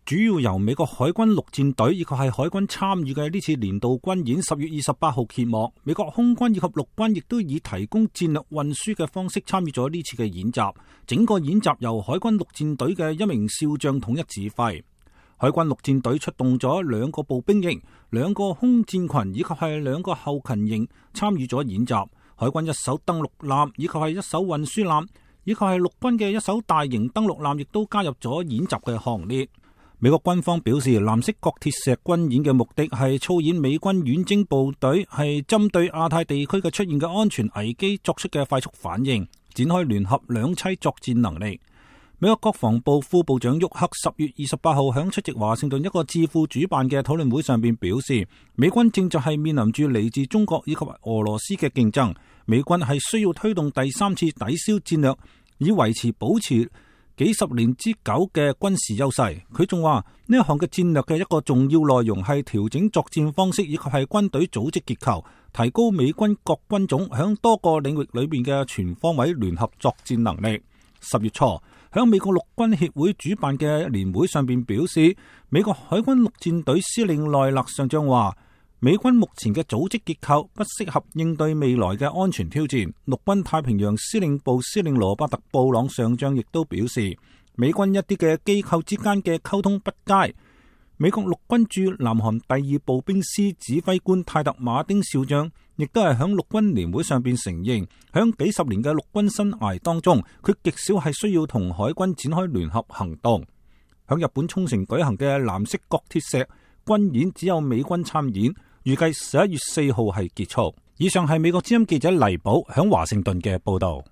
主要由美國海軍陸戰隊以及係海軍參與嘅呢次年度軍演10月28號揭幕。美國空軍以及陸軍亦都以提供戰略運輸嘅方式參與咗呢次嘅演習。整個演習由海軍陸戰隊嘅一名少將統一指揮。海軍陸戰隊出動咗2個步兵營、2個空戰群以及係2個後勤營參與咗演習。海軍一艘登陸艦以及係一艘運輸艦以及係陸軍嘅一艘大型登陸艦亦都加入咗演習嘅行列。美國軍方表示，藍色鋼鐵石軍演嘅目的係操演美軍遠征部隊係針對亞太地區嘅出現嘅安全危機作出嘅快速反應，展開聯合兩棲作戰能力。美國國防部副部長沃克10月28號響出席華盛頓一個智庫主辦嘅討論會上邊表示，美軍正在係面臨住嚟自中國以及俄羅斯嘅競爭，美軍係需要推動第3次抵消戰略，以維持保持幾十年之久嘅軍事優勢。佢仲話呢一項嘅戰略嘅一個重要內容係調整作戰方式以及係軍隊組織結構，提高美軍各軍種響多個領域裏面嘅全方位聯合作戰能力。10月初響美國陸軍協會主辦嘅年會上邊表示，美國海軍陸戰隊司令奈勒上將話，美軍目前嘅組織結構不適合應對未來嘅安全挑戰。陸軍太平洋司令部司令羅伯特布朗上將亦都表示，美軍一啲嘅機構之間嘅溝通不佳。美國陸軍駐南韓第2步兵師指揮官泰特馬丁少將亦都係響陸軍年會上邊承認，響幾十年嘅陸軍生涯當中，佢極少係需要同海軍展開聯合行動。響日本沖繩舉行嘅藍色鋼鐵石軍演只有美軍參演，預計11月4號係結束。以上係美國之音記者黎寶響華盛頓嘅報道。